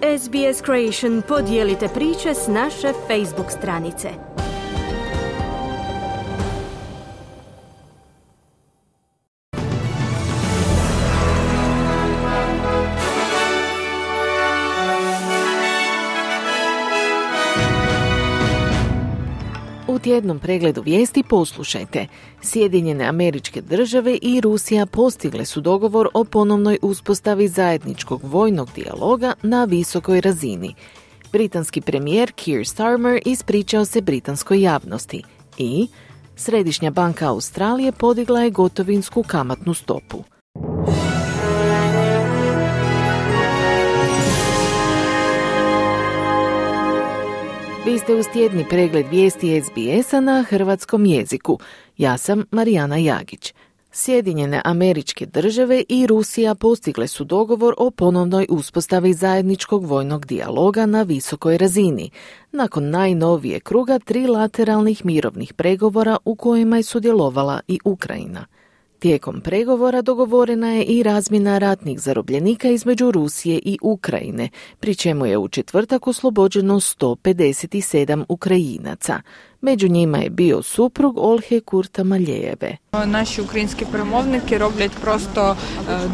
SBS Creation, podijelite priče s naše Facebook stranice. U tjednom pregledu vijesti poslušajte. Sjedinjene Američke Države i Rusija postigle su dogovor o ponovnoj uspostavi zajedničkog vojnog dijaloga na visokoj razini. Britanski premijer Keir Starmer ispričao se britanskoj javnosti i Središnja banka Australije podigla je gotovinsku kamatnu stopu. Vi ste uz tjedni pregled vijesti SBS-a na hrvatskom jeziku. Ja sam Marijana Jagić. Sjedinjene Američke Države i Rusija postigle su dogovor o ponovnoj uspostavi zajedničkog vojnog dijaloga na visokoj razini, nakon najnovije kruga trilateralnih mirovnih pregovora u kojima je sudjelovala i Ukrajina. Tijekom pregovora dogovorena je i razmjena ratnih zarobljenika između Rusije i Ukrajine, pri čemu je u četvrtak oslobođeno 157 Ukrajinaca. Među njima je bio suprug Ольги Куртамалєєвої. Наші українські перемовники роблять просто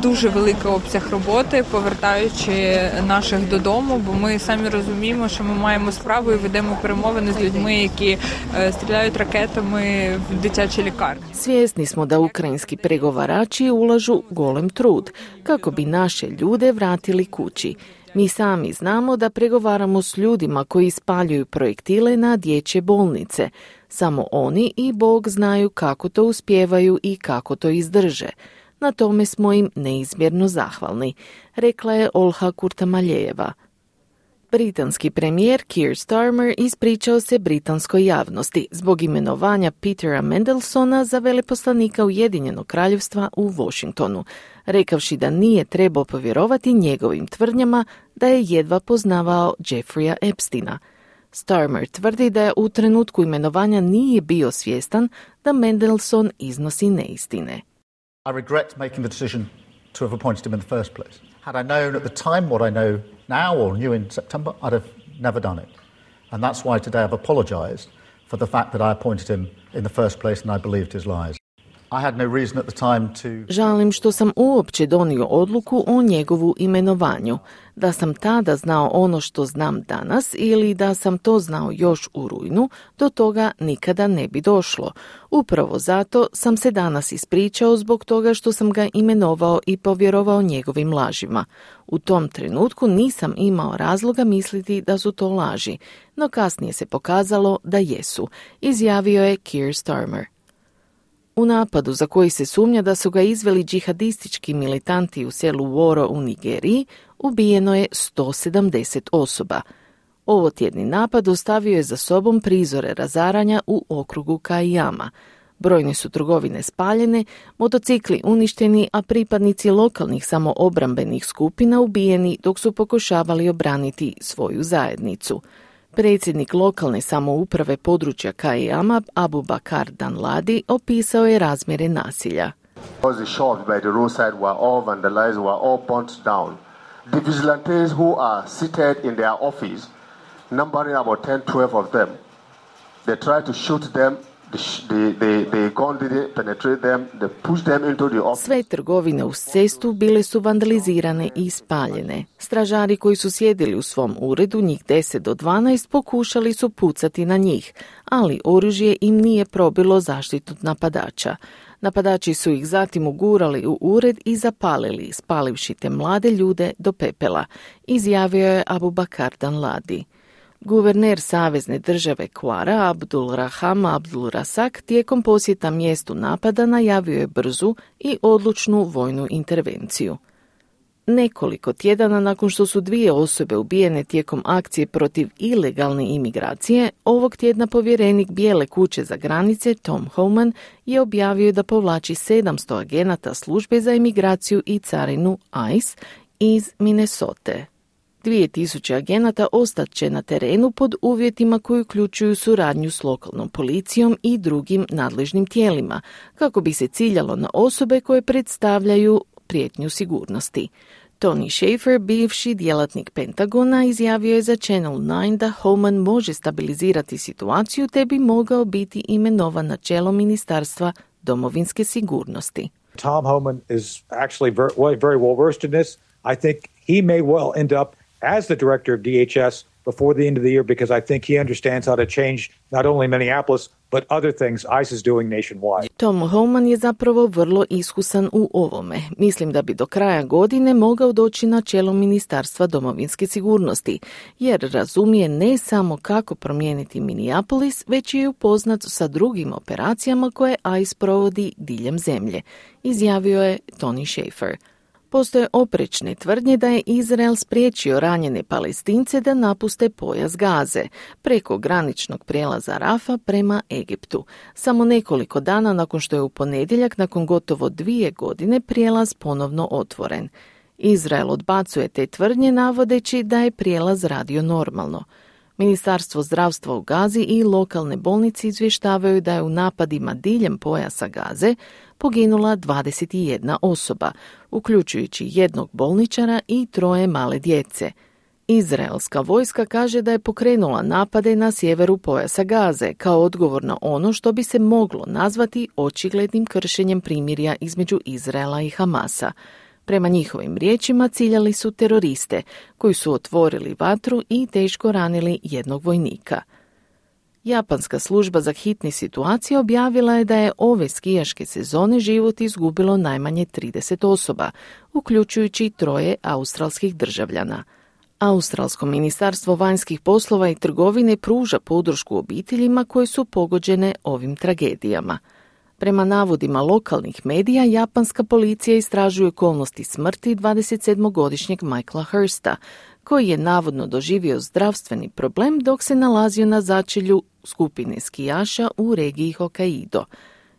дуже великий обсяг роботи, повертаючи наших додому, бо ми самі розуміємо, що ми маємо справу і ведемо перемовини з людьми, які стріляють ракетами в дитячі лікарні. Svjesni smo da ukrajinski pregovarači ulažu golem trud kako bi naše ljude vratili kući. Mi sami znamo da pregovaramo s ljudima koji spaljuju projektile na dječje bolnice. Samo oni i Bog znaju kako to uspijevaju i kako to izdrže. Na tome smo im neizmjerno zahvalni, rekla je Olga Kurtamaljejeva. Britanski premijer Keir Starmer ispričao se britanskoj javnosti zbog imenovanja Petera Mandelsona za veleposlanika Ujedinjenog kraljevstva u Washingtonu, rekavši da nije trebao povjerovati njegovim tvrdnjama da je jedva poznavao Jeffreya Epsteina. Starmer tvrdi da je u trenutku imenovanja nije bio svjestan da Mandelson iznosi neistine. I regret making the decision to have appointed him in the first place. Had I known at the time what I know now or knew in September, I'd have never done it. And that's why today I've apologized for the fact that I appointed him in the first place and I believed his lies. I had no reason at the time to... Žalim što sam uopće donio odluku o njegovu imenovanju. Da sam tada znao ono što znam danas ili da sam to znao još u rujnu, do toga nikada ne bi došlo. Upravo zato sam se danas ispričao zbog toga što sam ga imenovao i povjerovao njegovim lažima. U tom trenutku nisam imao razloga misliti da su to laži, no kasnije se pokazalo da jesu, izjavio je Keir Starmer. U napadu za koji se sumnja da su ga izveli džihadistički militanti u selu Woro u Nigeriji, ubijeno je 170 osoba. Ovotjedni napad ostavio je za sobom prizore razaranja u okrugu Kajama. Brojne su trgovine spaljene, motocikli uništeni, a pripadnici lokalnih samoobrambenih skupina ubijeni dok su pokušavali obraniti svoju zajednicu. Predsjednik lokalne samouprave područja Kajama, Abu Bakar Danladi, opisao je razmjere nasilja. The shops by the roadside were all vandalized, were all burnt down. The vigilantes who are seated in their office, numbering about 10-12 of them, they tried to shoot them. The gun didn't penetrate them. They pushed them into the office. Sve trgovine uz cestu bile su vandalizirane i spaljene. Stražari koji su sjedili u svom uredu, njih 10 do 12, pokušali su pucati na njih, ali oružje im nije probilo zaštitu napadača. Napadači su ih zatim ugurali u ured i zapalili, spalivši te mlade ljude do pepela, izjavio je Abu Bakar Danladi. Guverner savezne države Kwara Abdul Raham Abdul Rasak tijekom posjeta mjestu napada najavio je brzu i odlučnu vojnu intervenciju. Nekoliko tjedana nakon što su 2 osobe ubijene tijekom akcije protiv ilegalne imigracije, ovog tjedna povjerenik Bijele kuće za granice Tom Homan je objavio da povlači 700 agenata službe za imigraciju i carinu ICE iz Minnesota. 2000 agenata ostat će na terenu pod uvjetima koji uključuju suradnju s lokalnom policijom i drugim nadležnim tijelima, kako bi se ciljalo na osobe koje predstavljaju prijetnju sigurnosti. Tony Shaffer, bivši djelatnik Pentagona, izjavio je za Channel 9 da Homan može stabilizirati situaciju te bi mogao biti imenovan na čelo Ministarstva domovinske sigurnosti. Tom Homan is actually very well versed in this. I think he may well end up as the director of DHS before the end of the year because I think he understands how to change not only Minneapolis but other things ICE is doing nationwide. Tom Homan je zapravo vrlo iskusan u ovome. Mislim da bi do kraja godine mogao doći na čelo Ministarstva domovinske sigurnosti, jer razumije ne samo kako promijeniti Minneapolis, već je upoznat sa drugim operacijama koje ICE provodi diljem zemlje, izjavio je Tony Shaffer. Postoje oprečne tvrdnje da je Izrael spriječio ranjene Palestince da napuste pojas Gaze preko graničnog prijelaza Rafa prema Egiptu, samo nekoliko dana nakon što je u ponedjeljak, nakon gotovo 2 godine, prijelaz ponovno otvoren. Izrael odbacuje te tvrdnje navodeći da je prijelaz radio normalno. Ministarstvo zdravstva u Gazi i lokalne bolnice izvještavaju da je u napadima diljem pojasa Gaze poginula 21 osoba, uključujući 1 bolničara i 3 male djece. Izraelska vojska kaže da je pokrenula napade na sjeveru pojasa Gaze kao odgovor na ono što bi se moglo nazvati očiglednim kršenjem primirja između Izraela i Hamasa. Prema njihovim riječima ciljali su teroriste koji su otvorili vatru i teško ranili 1 vojnika. Japanska služba za hitne situacije objavila je da je ove skijaške sezone život izgubilo najmanje 30 osoba, uključujući 3 australskih državljana. Australsko ministarstvo vanjskih poslova i trgovine pruža podršku obiteljima koje su pogođene ovim tragedijama. Prema navodima lokalnih medija, japanska policija istražuje okolnosti smrti 27-godišnjeg Michaela Hursta, koji je navodno doživio zdravstveni problem dok se nalazio na začelju skupine skijaša u regiji Hokkaido.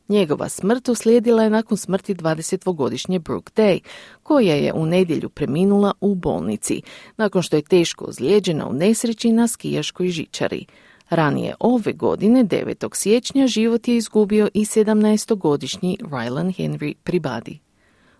Njegova smrt uslijedila je nakon smrti 20-godišnje Brooke Day, koja je u nedjelju preminula u bolnici, nakon što je teško ozlijeđena u nesreći na skijaškoj žičari. Ranije ove godine, 9. siječnja, život je izgubio i 17-godišnji Rylan Henry Pribadi.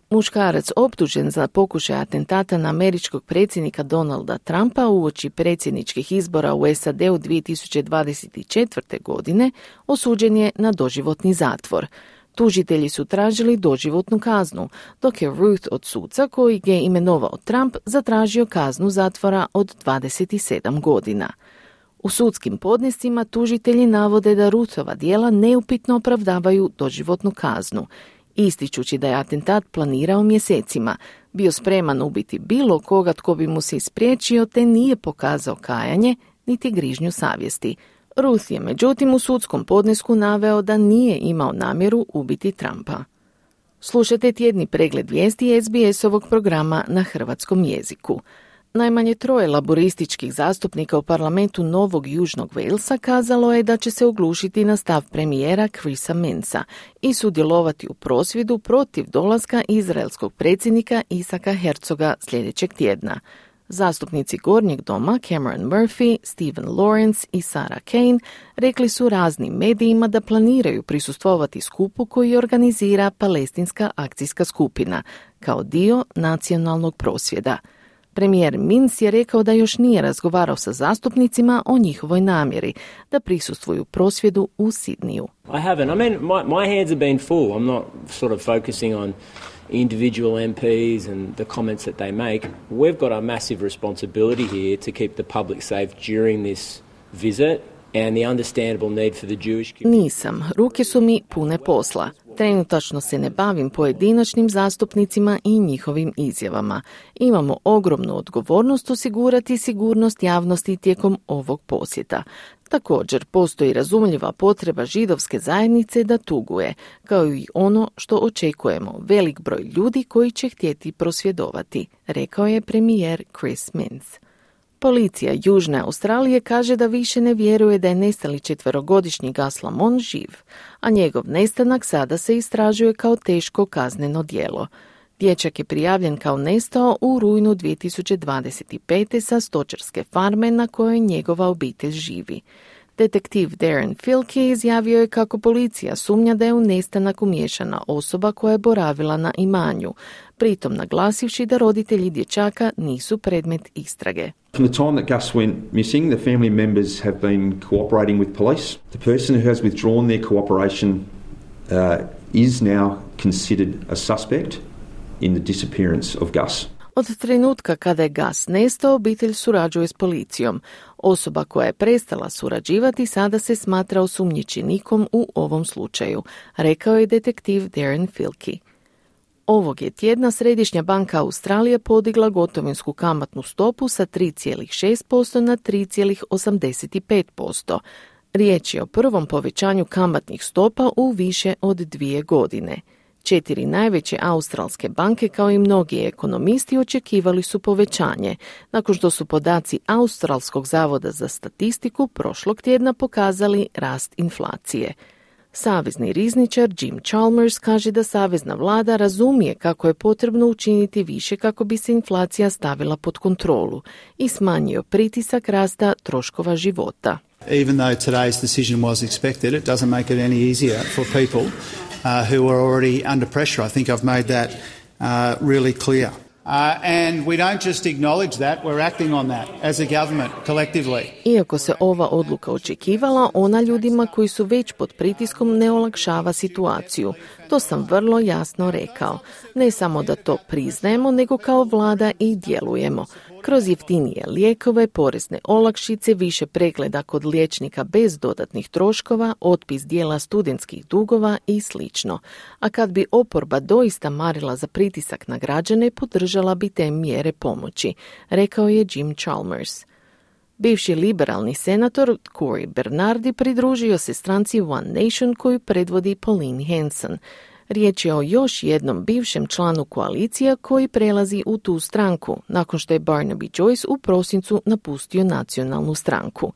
Muškarac optužen za pokušaj atentata na američkog predsjednika Donalda Trumpa uoči predsjedničkih izbora u SAD-u 2024. godine osuđen je na doživotni zatvor. Tužitelji su tražili doživotnu kaznu, dok je Ruth od suca koji je imenovao Trump zatražio kaznu zatvora od 27 godina. U sudskim podnescima tužitelji navode da Ruthova djela neupitno opravdavaju doživotnu kaznu, ističući da je atentat planirao mjesecima, bio spreman ubiti bilo koga tko bi mu se ispriječio te nije pokazao kajanje niti grižnju savjesti. Ruth je međutim u sudskom podnesku naveo da nije imao namjeru ubiti Trumpa. Slušajte tjedni pregled vijesti SBS-ovog programa na hrvatskom jeziku. Najmanje 3 laborističkih zastupnika u parlamentu Novog Južnog Walesa kazalo je da će se oglušiti na stav premijera Chrisa Minsa i sudjelovati u prosvjedu protiv dolaska izraelskog predsjednika Isaka Herzoga sljedećeg tjedna. Zastupnici Gornjeg doma Cameron Murphy, Stephen Lawrence i Sarah Kane rekli su raznim medijima da planiraju prisustvovati skupu koji organizira Palestinska akcijska skupina kao dio nacionalnog prosvjeda. Premijer Minc je rekao da još nije razgovarao sa zastupnicima o njihovoj namjeri da prisustvuju prosvjedu u Sidniju. I haven't. I mean, my hands have been full. I'm not sort of focusing on individual MPs and the comments that they make. We've got a massive responsibility here to keep the public safe during this visit and the understandable need for the Jewish community. Nisam. Ruke su mi pune posla. Trenutačno se ne bavim pojedinačnim zastupnicima i njihovim izjavama. Imamo ogromnu odgovornost osigurati sigurnost javnosti tijekom ovog posjeta. Također, postoji razumljiva potreba židovske zajednice da tuguje, kao i ono što očekujemo, velik broj ljudi koji će htjeti prosvjedovati, rekao je premijer Chris Minns. Policija Južne Australije kaže da više ne vjeruje da je nestali 4-godišnji Gus Lamont živ, a njegov nestanak sada se istražuje kao teško kazneno djelo. Dječak je prijavljen kao nestao u rujnu 2025. sa stočarske farme na kojoj njegova obitelj živi. Detektiv Darren Filkey izjavio je kako policija sumnja da je u nestanak umiješana osoba koja je boravila na imanju, pritom naglasivši da roditelji dječaka nisu predmet istrage. From the time that Gus went missing, the family members have been cooperating with police. The person who has withdrawn their cooperation is now considered a suspect in the disappearance of Gus. Od trenutka kada je Gus nestao, obitelj surađuje s policijom. Osoba koja je prestala surađivati sada se smatra osumnjičenikom u ovom slučaju, rekao je detektiv Darren Filkey. Ovog je tjedna Središnja banka Australije podigla gotovinsku kamatnu stopu sa 3,6% na 3,85%. Riječ je o prvom povećanju kamatnih stopa u više od 2 godine. 4 najveće australske banke, kao i mnogi ekonomisti, očekivali su povećanje, nakon što su podaci Australskog zavoda za statistiku prošlog tjedna pokazali rast inflacije. Savezni rizničar Jim Chalmers kaže da savezna vlada razumije kako je potrebno učiniti više kako bi se inflacija stavila pod kontrolu i smanjio pritisak rasta troškova života. Even though today's decision was expected, it doesn't make it any easier for people who are already under pressure. I think I've made that really clear. And we don't just acknowledge that, we're acting on that as a government collectively. Iako se ova odluka očekivala, ona ljudima koji su već pod pritiskom ne olakšava situaciju. To sam vrlo jasno rekao. Ne samo da to priznajemo, nego kao vlada i djelujemo. Kroz jeftinije lijekove, porezne olakšice, više pregleda kod liječnika bez dodatnih troškova, otpis dijela studentskih dugova i slično. A kad bi oporba doista marila za pritisak na građane, podržala bi te mjere pomoći, rekao je Jim Chalmers. Bivši liberalni senator Cory Bernardi pridružio se stranci One Nation koju predvodi Pauline Hanson. Riječ je o još jednom bivšem članu koalicija koji prelazi u tu stranku, nakon što je Barnaby Joyce u prosincu napustio nacionalnu stranku.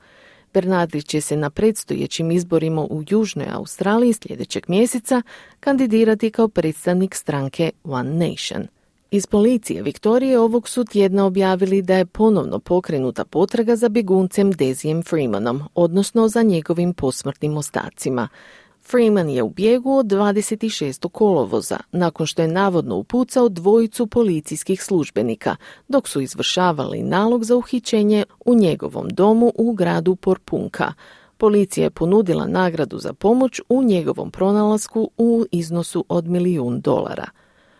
Bernardi će se na predstojećim izborima u Južnoj Australiji sljedećeg mjeseca kandidirati kao predstavnik stranke One Nation. Iz policije Viktorije ovog su tjedna objavili da je ponovno pokrenuta potraga za bjeguncem Dezijem Freemanom, odnosno za njegovim posmrtnim ostacima. Freeman je u bijegu od 26. kolovoza, nakon što je navodno upucao 2 policijskih službenika, dok su izvršavali nalog za uhićenje u njegovom domu u gradu Porpunka. Policija je ponudila nagradu za pomoć u njegovom pronalasku u iznosu od $1 milijun.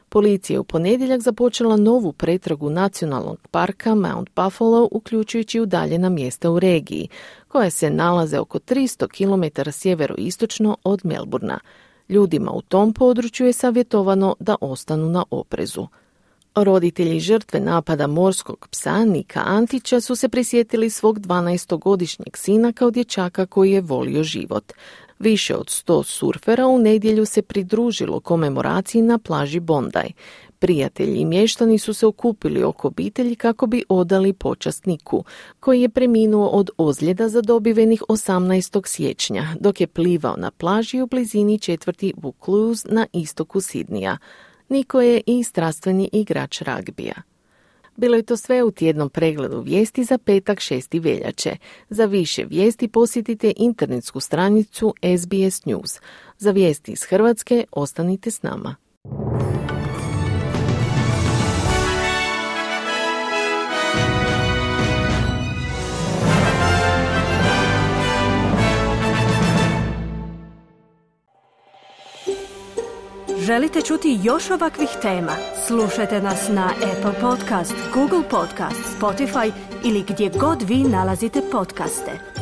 Policija je u ponedjeljak započela novu pretragu nacionalnog parka Mount Buffalo, uključujući udaljena mjesta u regiji, koja se nalaze oko 300 km sjeveroistočno od Melbourna. Ljudima u tom području je savjetovano da ostanu na oprezu. Roditelji žrtve napada morskog psa Nika Antića su se prisjetili svog 12-godišnjeg sina kao dječaka koji je volio život. Više od 100 surfera u nedjelju se pridružilo komemoraciji na plaži Bondi. Prijatelji i mještani su se okupili oko obitelji kako bi odali počast Niku, koji je preminuo od ozljeda zadobivenih 18. siječnja, dok je plivao na plaži u blizini četvrti Vaucluse na istoku Sidnija. Niko je i strastveni igrač ragbija. Bilo je to sve u tjednom pregledu vijesti za petak 6. veljače. Za više vijesti posjetite internetsku stranicu SBS News. Za vijesti iz Hrvatske ostanite s nama. Želite čuti još ovakvih tema? Slušajte nas na Apple Podcast, Google Podcast, Spotify ili gdje god vi nalazite podcaste.